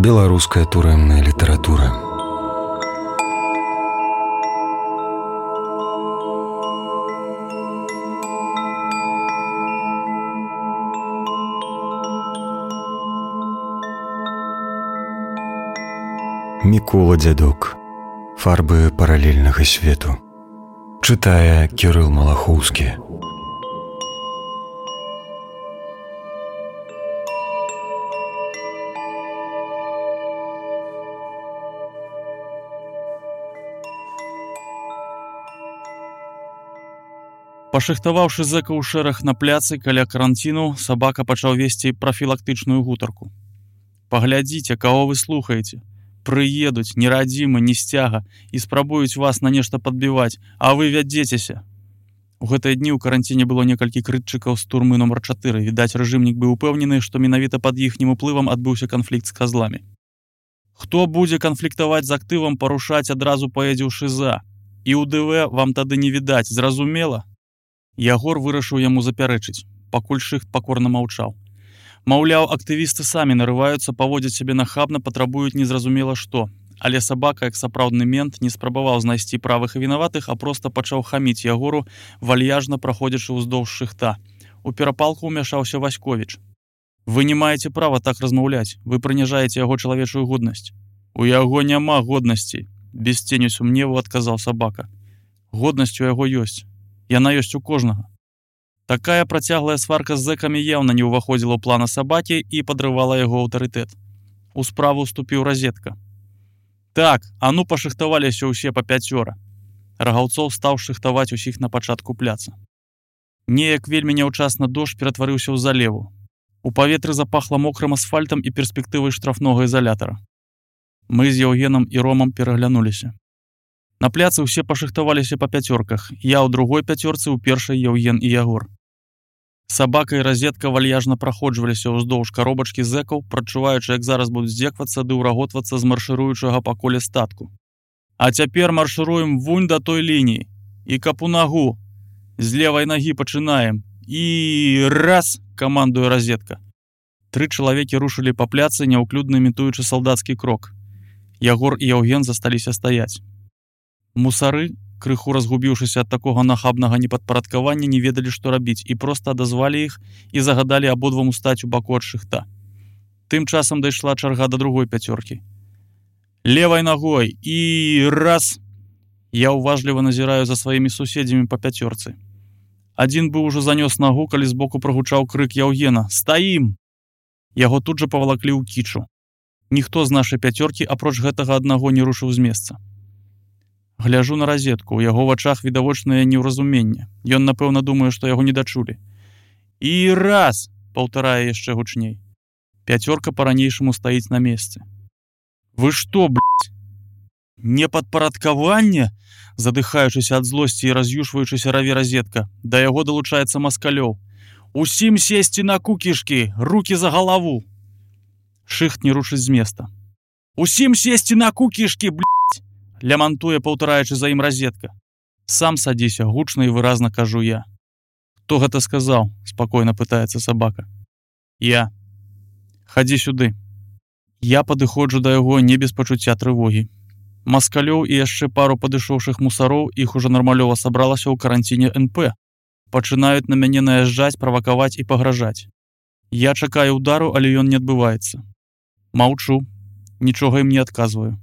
Беларуская турэмная літаратура. Мікола Дзядок. Фарбы паралельнага свету. Чытае Кірыл Малахоўскі. Пашыхтаваўшы зэка ў шэраг на пляцы каля каранціну, сабака пачаў весці прафілактычную гутарку. Паглядзіце, каго вы слухаеце. Прыедуць, нерадзімы, не сцяга, і спрабуюць вас на нешта падбіваць, а вы вядзецеся. У гэтыя дні ў каранціне было некалькі крытчыкаў з турмы нумар 4. Відаць, рэжымнік быў упэўнены, што менавіта пад іхнім уплывам адбыўся канфлікт з казламі. Хто будзе канфліктаваць з актывам, парушаць адразу паедзе ў ШИЗА. І ў ДВ вам тады не відаць, зразумела? Ягор вырашыў яму запярэчыць, пакуль Шыхт пакорна маўчаў. Маўляў, актывісты самі нарываюцца, паводзяць сябе нахабна, патрабуюць незразумела што. Але сабака, як сапраўдны мент, не спрабаваў знайсці правых і вінаватых, а проста пачаў хаміць Ягору, вальяжна праходзячы ўздоўж Шыхта. У перапалку ўмяшаўся Васьковіч. Вы не маеце права так размаўляць, вы прыніжаеце яго чалавечую годнасць. У яго няма годнасці, без ценю сумневу адказаў сабака. Годнасць у яго ёсць. Яна ёсць у кожнага. Такая працяглая сварка з зэкамі яўна не ўваходзіла ў плана сабакі і падрывала яго аўтарытэт. У справу ўступіў Разетка. Так, а ну пашыхтаваліся ўсе па 5. Рагаўцоў стаў шыхтаваць усіх на пачатку пляца. Неяк вельмі няўчасна дождж ператварыўся ў залеву. У паветры запахла мокрым асфальтам і перспектывай штрафнога ізалятара. Мы з Яўгенам і Ромам пераглянуліся. На пляцы ўсе пашыхтаваліся па 5. Я ў другой 5, у першай Яўген і Ягор. Сабака і Разетка вальяжна праходжваліся ўздоўж каробачкі зэкаў, прачуваючы, як зараз будуць здзеквацца ды ўраготвацца з маршыруючага па коле статку. А цяпер маршыруем вунь да той лініі. І кап у нагу. З левай нагі пачынаем. І раз, камандуе Разетка. 3 чалавекі рушылі па пляцы, няўклюдна імітуючы салдацкі крок. Ягор і Яўген засталіся стаяць. Мусары, крыху разгубіўшыся ад такога нахабнага непадпарадкавання, не ведалі, што рабіць, і проста адазвалі іх і загадалі абодвам устаць у баку ад Шыхта. Тым часам дайшла чарга да другой 5. Левай нагой і раз. Я ўважліва назіраю за сваімі суседзямі па 5. Адзін быў ужо занёс нагу, калі збоку прагучаў крык Яўгена: «Стаім!» Яго тут жа павалаклі ў кічу. Ніхто з нашай 5, апроч гэтага аднаго, не рушыў з месца. Гляжу на Разетку, у яго вачах відавочнае неўразуменне. Ён, напэўна, думае, што яго не дачулі. І раз, паўтарае яшчэ гучней. 5 па-ранейшаму стаіць на месцы. Вы што, блядь? Непадпарадкаванне? Задыхаючыся ад злосці і раз'юшваючыся раве Разетка. Да яго далучаецца Маскалёў. Усім сесці на кукішкі, рукі за галаву. Шыхт не рушыць з места. Усім сесці на кукішкі, блядь! Лямантуе, паўтараючы за ім Разетка. Сам садзіся, гучна і выразна кажу я. Хто гэта сказаў? Спакойна пытаецца сабака. Я. Хадзі сюды. Я падыходжу да яго не без пачуцця трывогі. Маскалёў і яшчэ пару падышоўшых мусароў, іх ужо нармалёва сабралася ў каранціне НП. Пачынаюць на мяне наязджаць, правакаваць і пагражаць. Я чакаю удару, але ён не адбываецца. Маўчу, нічога ім не адказваю.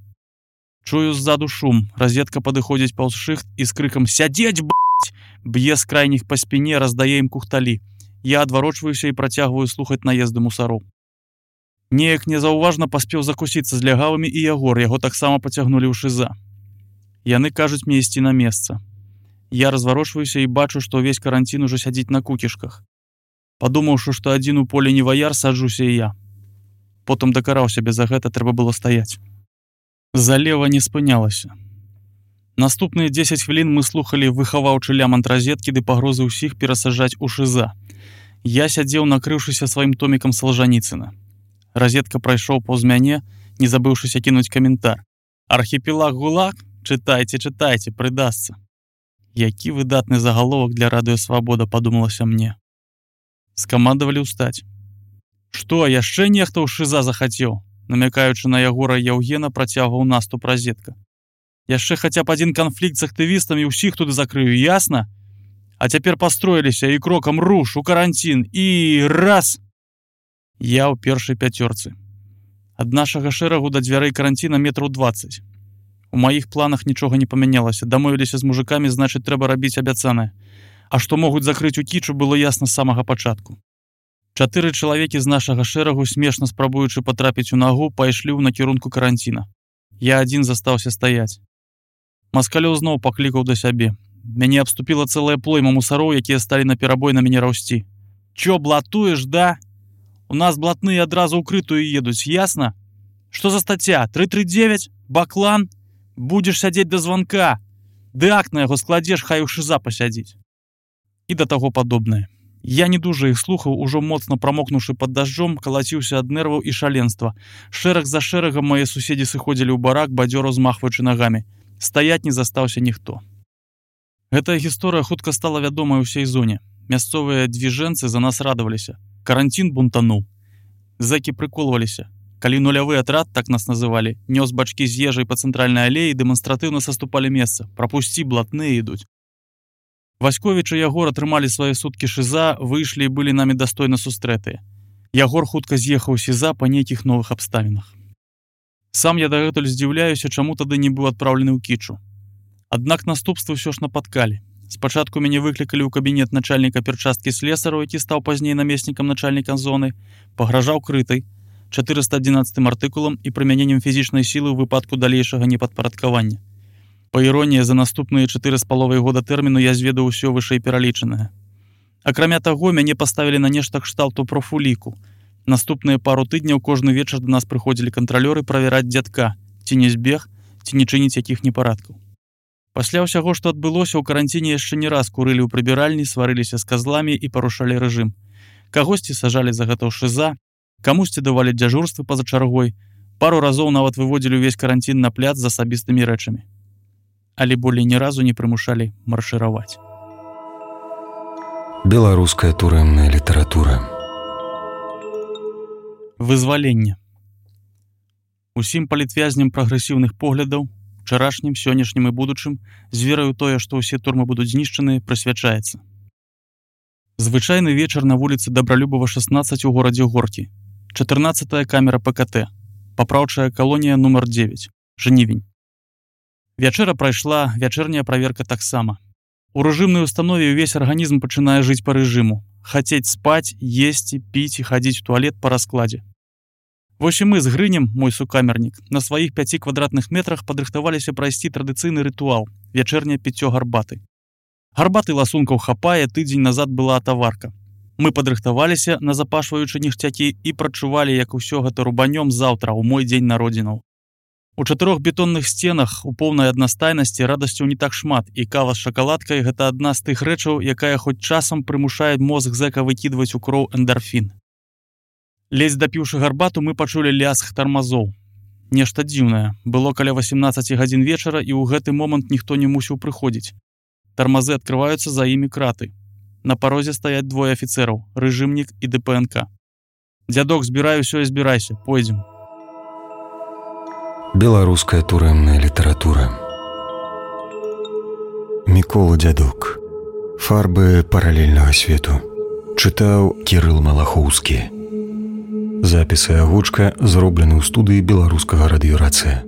Чую ззаду шум. Разетка падыходзіць паўз Шыхт і з крыкам «Сядзець, б***ь!» б'е з крайніх па спіне, раздае ім кухталі. Я адварочваюся і працягваю слухаць наезды мусароў. Неяк незаўважна паспеў закусіцца з лягавымі і Ягор, яго таксама пацягнулі ў ШИЗА. Яны кажуць мне ісці на месца. Я разварочваюся і бачу, што ўвесь каранцін ужо сядзіць на кукішках. Падумаўшы, што адзін у полі не ваяр, саджуся і я. Потым дакараў сябе за гэта, трэба было стаяць. Залева не спынялася. Наступныя 10 хвілін мы слухалі выхаваўчы лямант Разеткі ды пагрозы ўсіх перасаджаць у ШИЗА. Я сядзеў, накрыўшыся сваім томікам Салжаніцына. Разетка прайшоў паўз мяне, не забыўшыся кінуць каментар. «Архіпелаг ГУЛАГ? Чытайце, чытайце, прыдасца». Які выдатны загаловак для радыё «Свабода», падумалася мне. Скамандавалі ўстаць. «Што, яшчэ нехта ў ШИЗА захацеў?» намякаючы на Ягора Яўгена, працягваў наступ разетка. Яшчэ хаця б адзін канфлікт з актывістамі, ўсіх туды закрыю, ясна? А цяпер пастроіліся і крокам руш у каранцін і раз! Я ў першай пяцёрцы. Ад нашага шэрагу да дзвярэй каранціна метраў 20. У маіх планах нічога не памянялася. Дамовіліся з мужикамі, значыць, трэба рабіць абяцанае. А што могуць закрыць у кічу, было ясна з самага пачатку. 4 чалавекі з нашага шэрагу, смешна спрабуючы патрапіць у нагу, пайшлі ў накірунку каранціна. Я адзін застаўся стаяць. Маскалёў зноў паклікаў да сябе. Мяне абступіла цэлая плойма мусароў, якія сталі наперабой на мяне раўсці. Чё, блатуеш, да? У нас блатныя адразу ў крытую едуць, ясна? Што за стацця? 339? Баклан? Будзеш сядзець да званка. Ды акт на яго складзеш, хай у шыза пасядзіць. І да таго падобнае. Я не дужа іх слухаў, ужо моцна прамокнуўшы пад дажджом, калаціўся ад нерваў і шаленства. Шэраг за шэрагам мае суседзі сыходзілі ў барак, бадзёра змахваючы нагамі. Стаяць не застаўся ніхто. Гэтая гісторыя хутка стала вядомай у ўсёй зоне. Мясцовыя двіжэнцы за нас радаваліся. Каранцін бунтануў. Зэкі прыколваліся. Калі нулявы атрад, так нас называлі, нёс бачкі з ежай па цэнтральнай алеі, дэманстратыўна саступалі месца. Прапусці, блатныя ідуць. Васьковіч і Ягор атрымалі свае суткі шыза, выйшлі і былі намі дастойна сустрэтыя. Ягор хутка з'ехаў сіза па нейкіх новых абставінах. Сам я дагэтуль здзіўляюся, чаму тады не быў адпраўлены ў кічу. Аднак наступствы ўсё ж напаткалі. Спачатку мяне выклікалі ў кабінет начальніка перчасткі слесараў, які стаў пазней намеснікам начальніка зоны, пагражаў крытай, 411 артыкулам і прымяненнем фізічнай сілы ў выпадку далейшага непадпарадкавання. Па іроніі, за наступныя 4,5 года тэрміну я зведаў усё вышэй пералічанае. Акрамя таго, мяне паставілі на нешта кшталту профуліку. Наступныя пару тыдняў кожны вечар да нас прыходзілі кантралёры правяраць дзядка, ці не збег, ці не чыніць якіх непарадкаў. Пасля ўсяго, што адбылося, у каранціне яшчэ не раз курылі ў прыбіральні, сварыліся з казламі і парушалі рэжым. Кагосьці сажалі за гэта ў шыза, камусьці давалі дзяжурствы па-за чаргой, пару разоў нават выводзілі ўвесь каранцін на пляц з асабістымі рэчамі. Але болей ні разу не прымушалі маршыраваць. Беларуская турэмная літаратура. Вызваленне. Усім палітвязням прагрэсіўных поглядаў, вчарашнім, сённяшнім і будучым, з вераю тое, што ўсе турмы будуць знішчаныя, прысвячаецца. Звычайны вечар на вуліцы Дабралюбова, 16 у горадзе Горкі. 14-я камера ПКТ. Папраўчая калонія нумар 9. Жнівень. Вячэра прайшла, вячэрняя праверка таксама. У рэжымнай установе ўвесь арганізм пачынае жыць па рэжыму. Хацець спаць, есці, піць і хадзіць у туалет па раскладзе. Вось і мы з Грынем, мой сукамернік, на сваіх 5 квадратных метрах падрыхтаваліся прайсці традыцыйны рытуал – вячэрняе піццё гарбаты. Гарбаты ласункаў хапае, тыдзень назад была атаварка. Мы падрыхтаваліся, назапашваючы ніхцякі, і прачувалі, як усё гэта рубанём заўтра, у мой дзень народзінаў. У 4 бетонных сценах у поўнай аднастайнасці радасцяў не так шмат, і кава з шакаладкай – гэта адна з тых рэчаў, якая хоць часам прымушае мозг зэка выкідваць у кроў эндарфін. Ледзь дапіўшы гарбату, мы пачулі лязг тармазоў. Нешта дзіўнае. Было каля 18 гадзін вечара, і ў гэты момант ніхто не мусіў прыходзіць. Тармазы адкрываюцца, за імі краты. На парозе стаяць 2 афіцэраў – рэжымнік і ДПНК. «Дзядок, збірай усё і збірайся, пойдзем». Беларуская турэмная літаратура. Мікола Дзядок. Фарбы паралельнага свету. Чытаў Кірыл Малахоўскі. Запісы агучка зроблены ў студыі беларускага радыёрацыя.